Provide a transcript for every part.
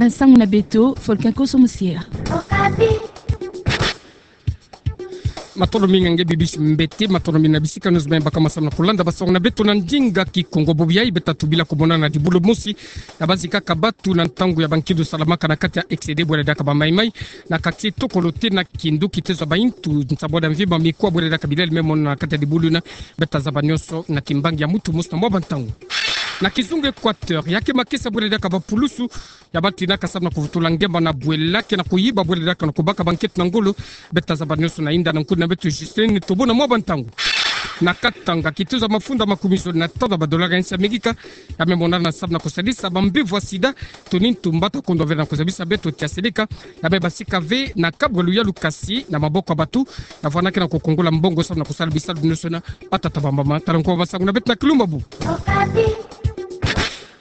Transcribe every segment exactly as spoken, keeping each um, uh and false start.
Nsangu na beto, Folkin Koso Musiera. Matondo mingi nge bibisi mbete, matondo mingi na bisika nyonso me baka ma samu na kulanda basangu na beto na ndinga Kikongo. Bobo yayi beta tubila kumonana dibulu mosi ya bazi kaka batu na ntangu ya bankindu salamaka na kati ya Excédé, bwela diaka ba maimai, na kati tokolo te na Kindu, kitezo ya baintu nsambwadi ya mvimba, mikuwa, bwela diaka bilele me monana na kati ya dibulu yina. Beta zaba nyonso na kimbangi ya mutu mosi na mwa bantangu. Na kizunga Équateur, ya ke makesa, bwela diaka bapulusu ya batinaka samu na kuvutula ngemba na bwela, ke na kuyiba, bwela diaka na kubaka banketo na ngolo. Beta zaba nyonso na inda na nkundi na beto Justine Tobo na mwa bantangu. Na Katanga, kitezo ya mafunda makumi zole na tanu ya badolari ya nsi ya Amerika ya me monana samu na kusadisa bambevo ya sida, toni ntumba ta kondo ve na kuzabisa beto tia seleka ya me basika ve na kabwa luyalu, kasi na maboko ya batu ya vwandaka na kukungola mbongo samu na kusala bisalu nyonso na batata, bamama. Tala nko basangu na beto na kilumbu ya bubu.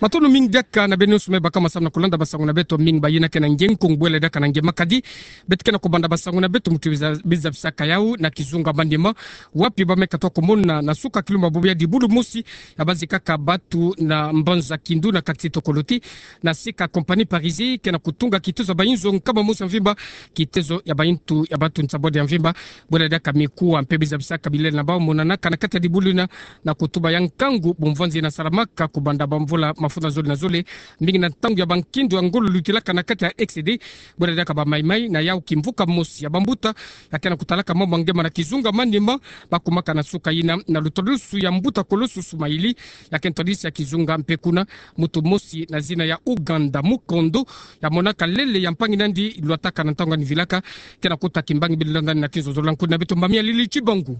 Matondo mingi diaka na beno nyonso me baka ma samu na kulanda basangu na beto. Mingi bayina ke na nge Nkongo, bwela diaka na nge Makadi. Beto ke na kubanda basangu na beto mutu biza-, bizabisaka yawu na kizunga Maniema, wapi ba me katuka kumona na suka kilumbu ya bubu ya dibulu mosi ya bazi kaka batu na mbanza Kindu na kati tokolo te, na sika compagnie Parisi ke na kutunga kitezo ya bainzo nkama mosi ya mvimba, kitezo ya baintu ya batu nsambwadi ya mvimba, bwela diaka mikuwa mpe bizabisaka bilele na bau monanaka na kati ya dibulu yina, na kutuba ya nkangu bumvwanzi yina salamaka kubanda bamvula mafunda zole na zole, mingi na ntangu ya bankindu ya ngolo lutilaka na kati ya Excédé, bwela diaka ba maimai. Na yawu kimvuka mosi ya bambuta ya ke na kutalaka mambu ya ngemba na kizunga Maniema, bakumaka na suka yina na lutolosu ya mbuta kolosu Sumaili, ya ke ntwadisi ya kizunga mpe kuna, mutu mosi na zina ya Uganda Mukondo, ya monaka lele ya mpangi na yandi lwataka na ntangu yandi vilaka, ke na kuta kimbangi bilonda na kinzo zola. Nkundi na beto Mbami ya Lili Chibangu.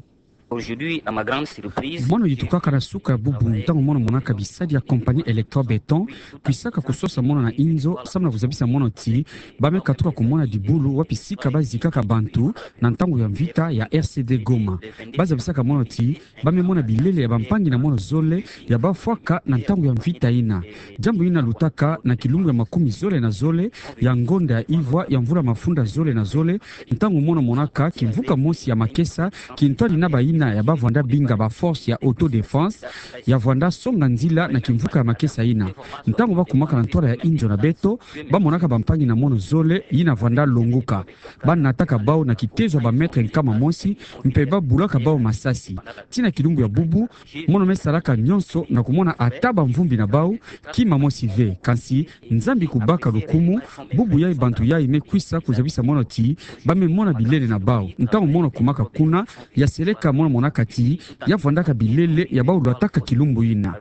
Aujourd'hui, à ma grande surprise, mono yitukaka na suka ya bubu ntangu mono monaka bisadi ya compagnie Electro Béton kwisaka kusosa mono na inzo samu na kuzabisa mono ti ba me katuka kumona dibulu wapi sika bazikaka bantu na ntangu ya mvita ya R C D Goma. Bazabisaka mono ti ba me mona bilele ya bampangi na mono zole ya bafwaka na ntangu ya mvita yina. Diambu yina lutaka na kilumbu ya makumi zole na zole ya ngonda ya ivwa ya mvula mafunda zole na zole, ntangu mono monaka kimvuka mosi ya makesa kintwadi na bayina ya bavwanda binga ba force ya autodéfense ya vwanda songa nzila na kimvuka ya makesa yina. Ntangu bakumaka na ntwala ya inzo na beto, bamonaka bampangi na mono zole yina vwanda longuka. Banataka bau na kitezo ya ba mètre nkama mosi, mpe babulaka bau masasi. Tii na kilumbu ya bubu, mono me salaka nyonso na kumona ata bamvumbi na bau, kima mosi ve. Kansi Nzambi kubaka lukumu, bubu yayi bantu yayi me kwisa kuzabisa mono ti ba me mona bilele na bau. Ntangu mono kumaka kuna, ya seleka mono monaka ti ya vwandaka bilele ya bau lwataka kilumbu yina.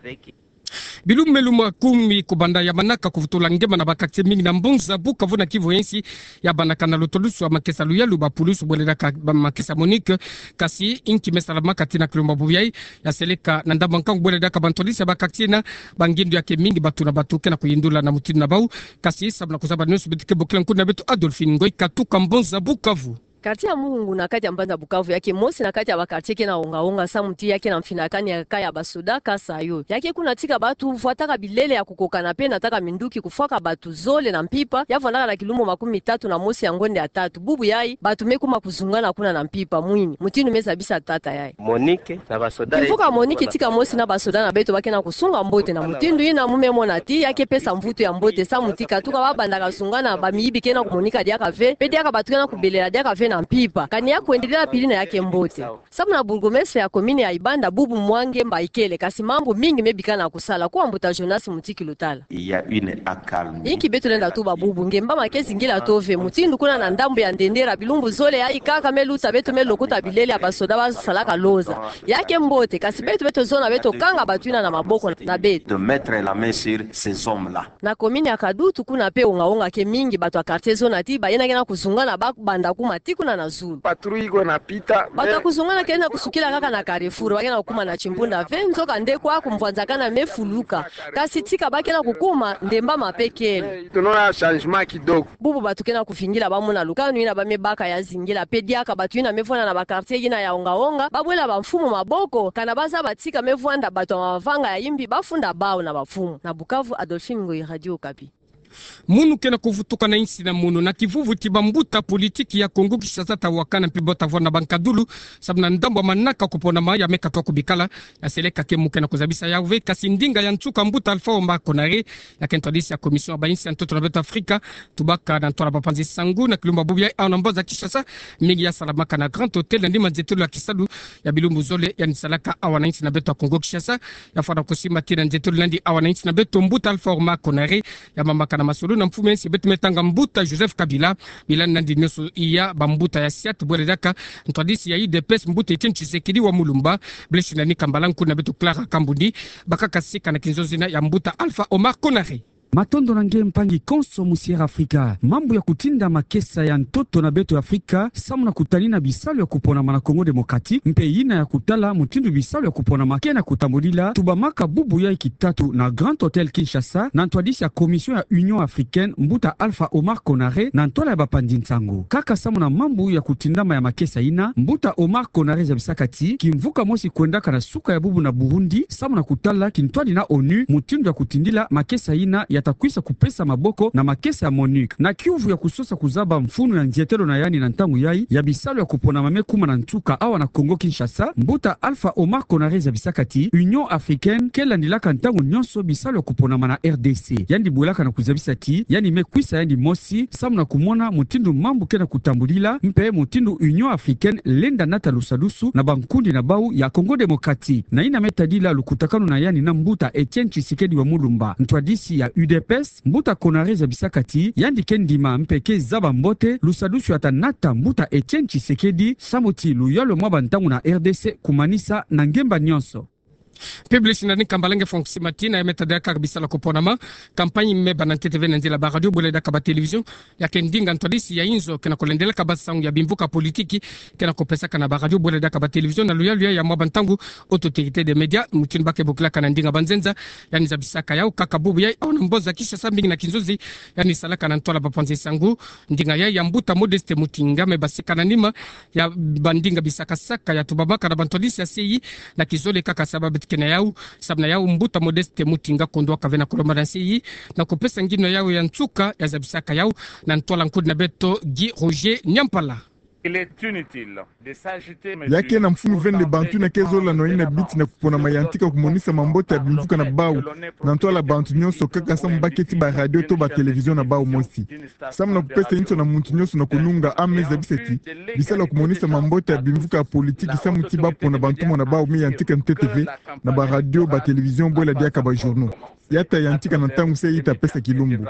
Bilumbu me lumbu kumi kubanda ya manaka kuvutula ngemba na ba quartier mingi na mbanza Bukavu na Kivu ya nsi, ya bandaka na lutolosu ya makesa luyalu, bapulusu bwele diaka ba makesa MONUC, kasi inki me salamaka tii na kilumbu ya bubu yayi, ya seleka na ndambu ya nkangu bwele diaka bantwadisi ya ba quartier na bangindu ya ke mingi, batu na batu ke na kuyindula na mutindu na bau, kasi samu na kuzaba nyonso beto ke bokila nkundi na beto Adolphine Ngoyi Katuka, mbanza Bukavu. Quartier ya Muhungu na kati ya mbanza Bukavu ya ke mosi na kati ya ba quartier ke na onga-onga samu ti ya ke na mfinakani ya ka ya basoda kasa yo. Ya ke kuna tika batu vwataka bilele ya kukokana mpe nataka minduki kufwaka batu zole na mpimpa, ya vwandaka na kilumbu makumi tatu na mosi ya ngonda ya tatu. Bubu yayi, batu me kuma kuzungana kuna na mpimpa. Mwini, mutindu me zabisa tata yayi. MONUC na basoda. Kimvuka MONUC tika mosi na basoda na beto ba ke na kusunga mbote. Na mutindu yina mu me mona ti ya ke pesa mvutu ya mbote samu ti katuka babandaka zungana, bamiyibi ke na kumonika diaka ve, mpe diaka batu ke na kubelela diaka ve na mpimpa. Kani ya kwendelea pili na ya ke mbote. Samu na bourgmestre ya commune ya Ibanda, bubu mwa ngemba ikele, kasi mambu mingi me bikana kusala. Kwa mbuta Jonas Mutiki Lutala. Il y a une accalmie. Inki beto lenda tuba bubu, ngemba ma ke zingila tove, mutindu kuna na ndambu ya Ndendera, bilumbu zole yayi kaka me luta beto me lokota bilele ya basoda basalaka loza. Ya ke mbote, kasi beto, beto zona beto kanga batu yina na maboko na beto. De mettre la main sur ces hommes-là. Na commune ya Kadutu kuna mpe onga-onga ke mingi, batu ya quartier zona ti bayina ke na kuzungana babanda kuma tii kuna na zulu. Patrouille ko na pita. Batu ya kuzungana ke na kusukila kaka na carrefour, ba ke na kukuma na chimbunda ve, nzoka nde kwa kumvwanzakana me fuluka. Kasi tika ba ke na kukuma, ndemba ma mpe kele. Eh, tunona changement kidogo. Bubu batu ke na kuvingila bamona lukanu yina ba me baka ya zingila, mpe diaka batu yina me vwanda na ba quartier yina ya onga-onga, babwela bamfumu maboko, kana bazaba tika me vwanda batu ya mavanga ya yimbi bafunda bau na bamfumu. Na Bukavu, Adolphine Ngoyi, Radio Okapi. Munu ke na kuvutuka na insi na munu na kivuvu ti bambuta politiki ya Kongo Kinshasa ta wakana mpe bota vwa na bankadulu, sababu na ndambu ya manaka kuponama ya me katoa kubikala, ya seleka ke mu ke na kuzabisa yau ve, kasi ndinga ya nsuka mbuta Alpha Omar Konaré, ya ke ntwadisi ya Commission ya bainsi ya ntoto na beto Afrika, tubaka na ntwala bapanzi nsangu na kilumbu bubu yayi awa na mbanza Kinshasa, mingi ya salamaka na Grand Hôtel na nima nzietelo ya kisalu ya bilumbu zole yandi salaka awa na insi na beto ya Kongo Kinshasa, ya fwana kusimba tii na nzietelo na yandi awa na insi na beto mbuta Alpha Omar Konaré, ya mamaka na masolo na mfumu ya insi beto me tanga mbuta Joseph Kabila, bila nandi nioso iya bambuta ya SIAT, bwela diaka ntwadisi ya U D P S mbuta Etienne Tshisekedi wa Mulumba, Blaise Nani Kambala nkuna beto Clara Kambundi, bakaka sika na kinzonzi na ya mbuta Alpha Omar Konaré. Matondo na nge mpangi konso mu Sierra Africa. Mambu ya kutinda makesa ya ntoto na beto ya Afrika, samu na kutanina bisalu ya kuponama na Congo Démocratique, mpe yina ya kutala mutindu bisalu ya kuponama ke na kutambulila, tubamaka bubu yayi kitatu na Grand Hôtel Kinshasa, na ntwadisi ya Commission ya Union Africaine, mbuta Alpha Omar Konaré, na ntwala ya bapanzi nsangu. Kaka samu na mambu ya kutindama ya makesa yina, mbuta Omar Konaré zabisaka ti, kimvuka mosi kwendaka na suka ya bubu na Burundi, samu na kutala kintwadi na ONU, mutindu ya kutindila makesa yina ya ta kwisa kupesa maboko na makesa ya MONUC. Na kiuvu ya kusosa kuzaba mfunu ya nzietelo na yandi na ntangu yayi, ya bisalu ya kuponama me kuma na nsuka awa na Congo Kinshasa, mbuta Alpha Omar Konaré zabisaka ti, Union Africaine ke landilaka ntangu nionso bisalu ya kuponama na R D C. Yandi bwelaka na kuzabisa ti, yandi me kwisa yandi mosi, samu na kumona mutindu mambu ke na kutambulila, mpe mutindu Union Africaine lenda nata lusadusu na bankundi na bau ya Congo Démocratique. Na yina me tadila lukutakanu na yandi na mbuta Etienne Tshisekedi wa Mulumba, ntwadisi ya U D P S, mbuta Konaré zabisaka ti, yandi ke ndima mpe ke zaba mbote lusadusu ya ta nata mbuta Etienne Tshisekedi, samu ti luyalu mwa bantangu na R D C kumanisa na ngemba nionso. Publish na ni kambala nge fonksi matina ya me tadila kaka bisalu ya kuponama, campagne me bana ntete ve na nzila ba radio bwela diaka ba télévision, ya ke ndinga ntwadisi ya inzo ke na kulendelaka ba nsangu ya bimvuka politiki ke na kupesaka na ba radio bwela diaka ba télévision na luyalu ya mwa bantangu, autorité de média, mutindu ba ke bokilaka na ndinga banzenza, yandi zabisaka yau kaka bubu yayi awa na mbanza Kinshasa mingi na kinzonzi, yandi salaka na ntwala bapanzi nsangu, ndinga yayi ya mbuta Modeste Mutinga me basika na nima ya bandinga bisakasaka ya tubamaka na bantwadisi ya C I na kizole kaka sababu tike na yau, sababu na yau mbuta Modeste Mutinga kondwaka ve na kulomba na C I na kupesa nginu yau ya nsuka ya zabisaka yau na ntwala nkundi na beto Guy Roger Nyampala. Il est inutile de s'agiter, ya ke na mfunu ve nde bantu yina ke zola na yina biti na kuponama ya ntika kumonisa mambote ya bimvuka na bau na ntwala bantu nionso kaka samu ba keti ba radio to ba télévision na bau mosi. Samu na kupesa inso na muntu nionso na kununga, a me zabisa ti, bisalu ya kumonisa mambote ya bimvuka ya politiki samu ti ba pona bantumwa na bau me yantika ntete ve na ba radio, ba télévision bwela diaka ba journaux. Ya ta yantika na ntangu se yi ta pesa kilumbu.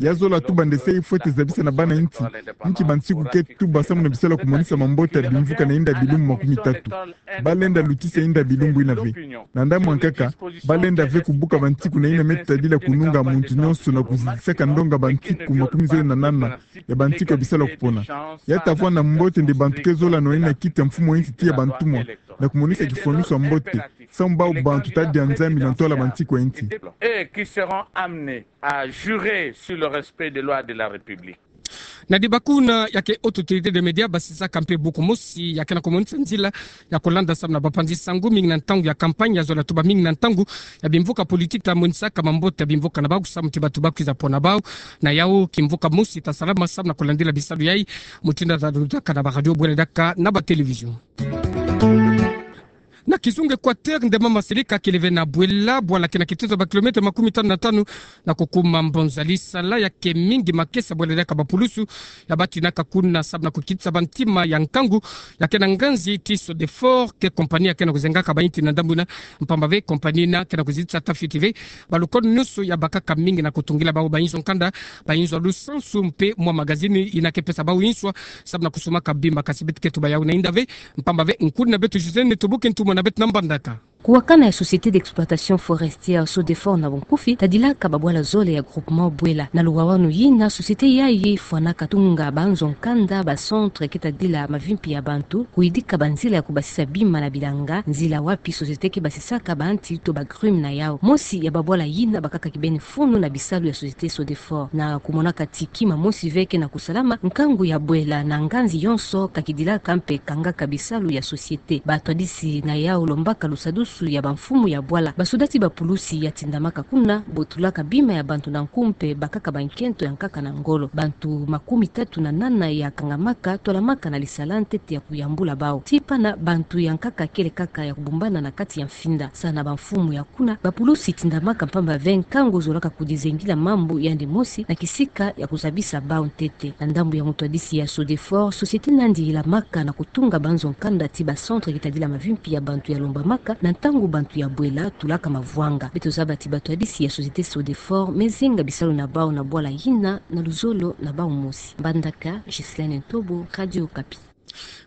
Ya zola tuba nde se yi fwete zabisa na bana insi, nki bansiku ke tuba samu na bisalu ya kumonisa mambote ya bimvuka na yinda bilumbu makumi tatu. Ba lenda lutisa yinda bilumbu yina ve. Na ndambu ankaka, ba lenda ve kubuka bansiku na yina me tadila kununga muntu nionso na kuzizisaka ndonga bansiku makumi zole na nana ya bansiku ya bisalu ya kupona. Ya ta vwa na mbote nde bantu ke zola na yina kiti ya mfumu ya insi tiya bantumwa na kumonisa kifwanusu ya mbote samu bau bantu ta dia Nzambi na ntwala bansiku ya insi. Et qui seront amenés à jurer sur le respect des lois de la République. Na dibakuna ya ke autorité de média basisaka mpe buku mosi ya ke na kumonisa nzila ya kulanda samu na bapanzi nsangu mingi na ntangu ya campagne ya zola tuba mingi na ntangu ya bimvuka politique ta monisaka mambote ya bimvuka na bau samu ti bato ba kwiza pona bau. Na yau kimvuka mosi ta salama samu na kulandila bisalu yayi, mutindu ta lutaka na ba radio bwela diaka na ba télévision. Na kizunga Équateur nde mama Selika kele ve na Bwela, bwala ke na kituza ba kilomètre makumi tanu na tanu na kukuma Mbonza. Lisala ya ke mingi makesa bwela diaka ba pulusu ya batinaka kuna samu na kukitisa bantima ya nkangu ya ke na nganzi ti Sodefort, ke compagnie ya ke na kuzengaka ba inti na ndambu yina, mpamba ve compagnie yina ke na kuzitisa ta fioti ve ba lukolo nionso ya bakaka mingi na kutungila bau ba inzo nkanda, ba inzo ya lusansu mpe mwa magazini yina ke pesa bau inswa samu na kusumaka bima, kasi beto ke tuba yau na yinda ve, mpamba ve nkundi na beto José Neto Buke ntumwa na beto na mbandaka. Kuwakana ya Société d'exploitation forestière Sodefort na bunkufi, tadilaka ba bwala zole ya groupement Bwela. Na luwawanu yina, société yayi fwanaka tunga ba nzo nkanda, ba centre ke tadila mavimpi ya bantu, kuyidika ba nzila ya kubasisa bima na bilanga, nzila wapi société ke basisaka ba nti to ba grumes na yau. Mosi ya ba bwala yina bakaka kibeni funu na bisalu ya Société Sodefort. Na kumonaka ti kima mosi ve ke na kusalama, nkangu ya Bwela na nganzi yonso ka kidilaka mpe kangaka bisalu ya société. Batwadisi na yau lombaka lusadusu nsusu ya bamfumu ya bwala. Basoda ti bapulusi ya tindamaka kuna botulaka bima ya bantu na nku mpe bakaka bankento ya nkaka na ngolo. Bantu makumi tatu na nana ya kangamaka twalamaka na lisala ntete ya kuyambula bau. Ti pana bantu ya nkaka kele kaka ya kubumbana na kati ya mfinda. Sa na bamfumu ya kuna, bapulusi tindamaka mpamba ve nkangu zolaka kudizengila mambu yandi mosi na kisika ya kuzabisa bau ntete. Na ndambu ya mutwadisi ya Sodefort, société nandi ilamaka na kutunga banzo nkanda ti ba centre kitadila mavimpi ya bantu ya lombamaka na ntangu bantu ya bwela tulaka mavwanga. Beto zaba ti batwadisi ya société Sodefort me zinga bisalu na bau na bwala yina na luzolo na bau mosi. Mbandaka, Ghislaine Ntobo, Radio Okapi.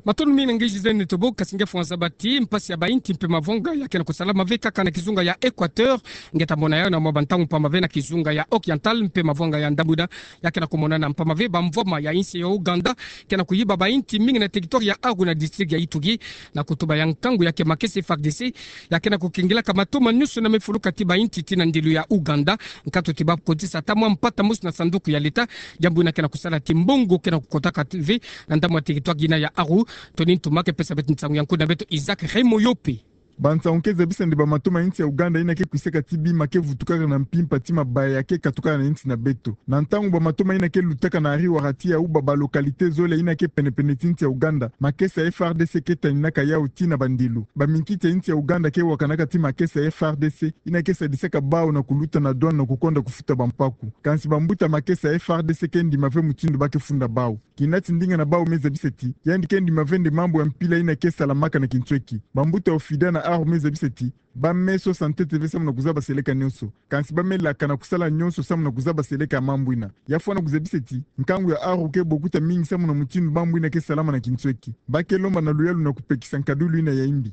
Matondo mingi na nge Ghislaine Ntobo. Kasi nge fwanza zaba ti mpasi ya bainti mpe mavwanga ya ke na kusalama ve kaka na kizunga ya Équateur. Nge ta mona yau na mwa bantangu mpamba ve na kizunga ya Oriental mpe mavwanga ya ndambu yina ya ke na kumonana mpamba ve bamvwama ya insi ya Ouganda ke na kuyiba bainti mingi na territoire ya Aru na district ya Ituri, na kutuba ya nkangu ya ke makesa F A R D C ya ke na kukengilaka matoma nyonso na mafuluka ti bainti ti na ndilu ya Ouganda, nkatu ti bakotisa ata mwa mpata mosi na sanduku ya leta. Diambu yina ke na kusala ti mbongo ke na kukotaka ve na ndambu ya territoire yina ya Aru. Tony Ntuma ke pesa beto nsangu ya nkundu na beto Isaac Raymond Yope. Bansangu ke zabisa nde bamatoma ya insi ya Ouganda yina ke kwisaka ti bima ke vutukaka na mpimpa ti mabaya ya ke katukaka na insi na beto. Na ntangu bamatoma yina ke lutaka na ariwara ti ya uba balocalité zole yina ke penepene ti insi ya Ouganda, makesa F A R D C ke taninaka yau ti na bandilu. Baminkiti ya insi ya Ouganda ke wakanaka ti makesa F A R D C yina ke sadisaka bau na kuluta na douane na kukonda kufuta bampaku. Kansi bambuta makesa F A R D C ke ndima ve mutindu ba ke funda bau. Kinati ndinga na bau me zabisa ti yandi ke ndima ve nde mambu ya mpila yina ke salamaka na kintweki. Bambuta OFIDA na Aru me zabisa ti ba me sosa ntete ve samu na kuzaba seleka nyonso. Kansi ba me laka na kusala nyonso samu na kuzaba seleka ya mambu yina. Ya fwana kuzabisa ti nkangu ya Aru ke bokuta mingi samu na mutindu mambu yina ke salama na kintweki. Ba ke lomba na luyalu na kupekisa nkadulu yina ya imbi.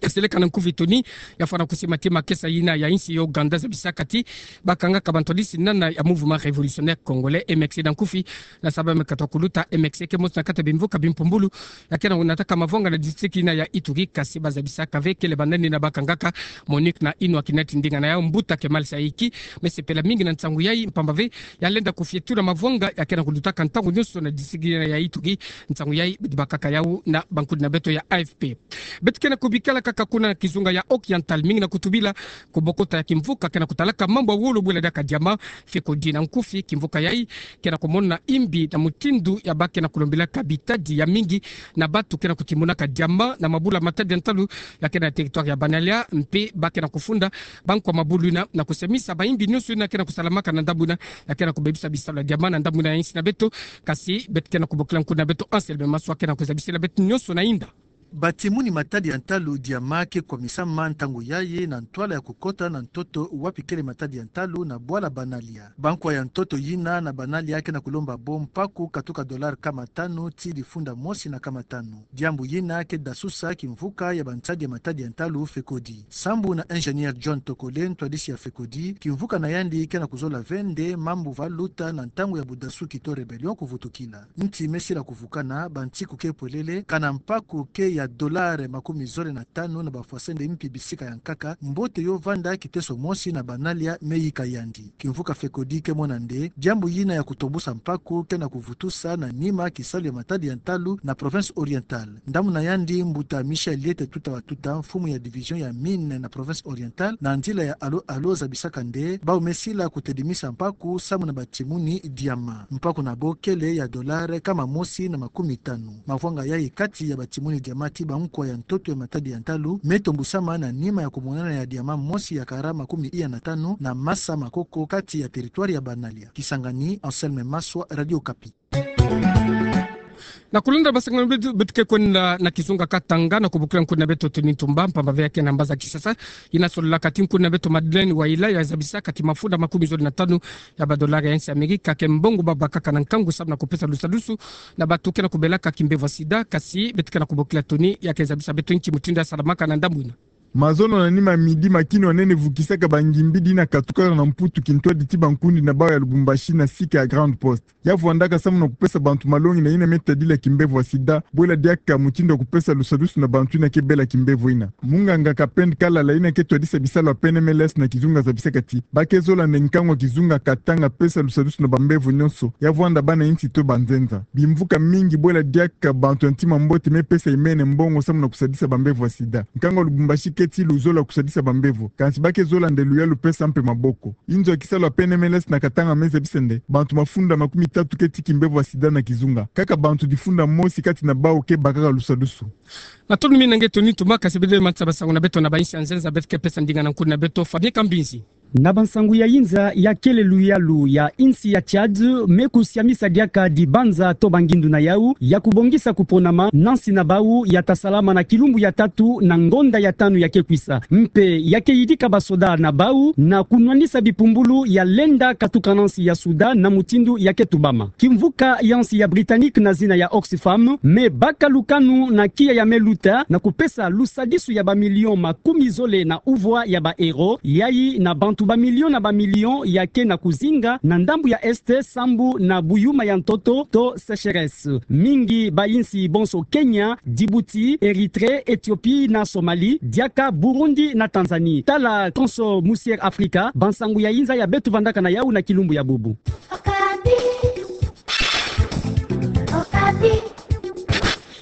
Kaseleka na nkufi Tony. Ya fwana kusema ti makesa yina ya insi ya Ouganda zabisaka ti bakangaka bantwadisi nana ya Mouvement Révolutionnaire Congolais, M X C na nkufi, na saba me kata kuluta. M X C ke mosi na kati ya bimvuka bimpumbulu ya ke na kunataka mavwanga na district yina ya Ituri, kasi bazabisaka ve kele banani yina bakangaka. Monique Nainwa, kinati ndinga na yau, mbuta Kemal Saiki, me sepela mingi na nsangu yai mpamba ve ya lenda kufietula mavwanga ya ke na kulutaka ntangu nyonso na district yina ya Ituri. Nsangu yai beto bakaka yau na bankundu na beto ya A F P. Beto ke na kubikila kaka kuna na kizunga ya Oriental, mingi na kutubila kubokota ya kimvuka ke na kutalaka mambu ya wolo bwela diaka diamant, FECODI na nkufi. Kimvuka yai ke na kumona imbi na mutindu ya ba ke na kulombilaka bitadi ya mingi na bantu ke na kutimunaka diamant na mabula matadi ya ntalu ya ke na territoire ya Banalia, mpe ba ke na kufunda bankwa mabulu yina na kusemisa baimbi nyonso yina ke na kusalamaka na ndambu yina ya ke na kubebisa bisalu ya diamant na ndambu yina ya insi na beto. Kasi beto ke na kubokila nkundu na beto Anselme Maswa ke na kuzabisila beto nyonso na inda. Batimuni matadi ya ntalu diamant ke kwamisama ntangu yayi na ntwala ya kukota na ntoto wapi kele matadi ya ntalu na bwala Banalia. Bankwa ya ntoto yina na Banalia ke na kulomba bo mpaku katuka dollar nkama tanu ti difunda mosi na nkama tanu. Diambu yina ke dasusa kimvuka ya bansadi ya matadi ya ntalu FECODI. Sambu na ingénieur John Tokole, ntwadisi ya FECODI, kimvuka na yandi ke na kuzola ve nde mambu va luta na ntangu ya budasuki to rébellion kuvutukila. Nti me sila kuvukana, bantiku ke pwelele, kana mpaku ke ya dollar makumi zole na tanu na bafwasende mpi bisika ya nkaka, mbote yo vanda kiteso mosi na Banalia me yika yandi. Kimvuka FECODI ke mona nde diambu yina ya kutombusa mpaku ke na kuvutusa na nima kisalu ya matadi ya ntalu na province Orientale. Ndambu na yandi, mbuta Michel Liete Tuta wa Tuta, mfumu ya division ya mine na province Orientale, na nzila ya alo-alo zabisaka nde bau me sila kutedimisa mpaku samu na batimuni diamant. Mpaku na bo kele ya dollar nkama mosi na makumi tanu. Mavwanga yayi kati ya batimuni diamant ti bankwa ya ntoto ya matadi ya ntalu me tombusama na nima ya kumonana ya diamant mosi ya kara makumi iya na tanu na Masa Makoko kati ya territoire ya Banalia. Kisangani, Anselme Maswa, Radio Okapi. Na kulenda basango na beto, beto ke kwenda na kizunga Katanga na kubokila nkundu na beto Tony Ntumba, mpamba ve ya ke na mbaza kisasa yina sololaka ti nkundu na beto Madeleine Waila ya zabisaka ti mafunda makumi zole na tanu ya badollar ya insi Amerika ke mbongo ba bakaka na nkangu samu na kupesa lusadusu na bantu ke na kubelaka kimbevo ya sida. Kasi beto ke na kubokila Tony ya ke zabisa beto nki mutindu ya salamaka na ndambu yina. Mazono na nima midi, makinu ya nene vukisaka bangimbidi yina katukaka na Mputu kintwadi ti bankundi na bau ya Lubumbashi na sika ya Grande Poste. Ya vwandaka samu na kupesa bantu malongi na yina me tadila kimbevo ya sida, bwela diaka mutindu ya kupesa lusadusu na bantu yina ke bela kimbevo yina. Munganga Kapend Kalala yina ke twadisa bisalu ya P N M L S na kizunga zabisaka ti ba ke zola nde nkangu ya kizunga Katanga pesa lusadusu na bambevo nyonso, ya vwanda bana insi to banzenza. Bimvuka mingi bwela diaka bantu ya ntima mbote me pesa imene mbongo samu na kusadisa bambevo ya sida. Nkangu ya Lubumbashi ke Eti luzolo kusadisa bambevo, kansi ba ke zola nde luyalu pesa mpe maboko. Inzo ya kisalu ya P N M L S na katanga meza bisende, bantu mafunda makumi tatu ke tiki mbevo ya sida na kizunga. Kaka bantu difunda mosi kati na bawu ke bakaka lusadusu. Matondo mingi na nge Tony Tumba, kasi bele manisa basangu na beto na bayinsi ya nzenza, beto ke pesa ndinga na nkuni na beto Fabien Kambinzi. Na bansangu ya yinza ya kele luyalu ya insi ya Tchad me kusiamisa diaka dibanza to bangindu na yawu ya kubongisa kuponama na nsi na bawu ya ta salama na kilumbu ya tatu na ngonda ya tanu ya ke kwisa. Mpe ya ke yidika basoda na bawu na kunwanisa bipumbulu ya lenda katuka na nsi ya Soudan na mutindu ya ke tubama. Kimvuka ya nsi ya Britannique na zina ya Oxfam me baka lukanu na kiya ya me luta na kupesa lusadisu ya bamilion makumi zole na uvwa ya baeuro, yayi na bantu bamilion na bamilion ya ke na kuzinga na ndambu ya Est sambu na buyuma ya ntoto to sécheresse. Mingi bayinsi bonso Kenya, Djibouti, Érythrée, Éthiopie na Somalie, diaka Burundi na Tanzanie. Tala konso musier Afrika, bansangu ya yinza ya beto vandaka na yawu na kilumbu ya bubu.